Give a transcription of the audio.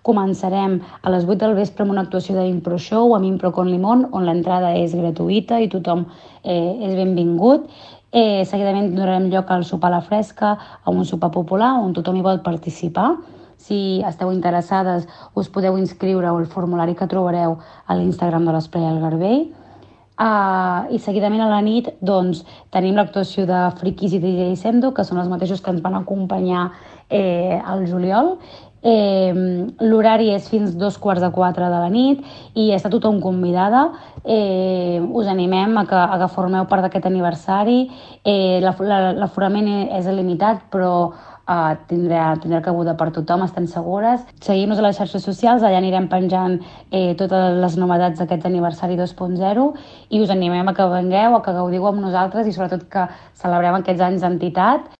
començarem a les 8 del vespre amb una actuació d'Impro Show amb Impro con Limón, on l'entrada és gratuïta i tothom és benvingut. Seguidament donarem lloc al sopar a la fresca, a un sopar popular on tothom hi vol participar. Si esteu interessades, us podeu inscriure al formulari que trobareu a l'Instagram de l'Esplai al Garbell. I seguidament a la nit tenim l'actuació de Friquis i DJ Sendo, que són els mateixos que ens van acompanyar al juliol. L'horari és fins 3:45 de la nit i està tothom convidada. Us animem a que formeu part d'aquest aniversari. L'aforament és il·limitat, però tindrà cabuda per tothom, estem segures. Seguim-nos a les xarxes socials, allà anirem penjant totes les novetats d'aquest aniversari 2.0 i us animem a que vengueu, a que gaudiu amb nosaltres i sobretot que celebrem aquests anys d'entitat.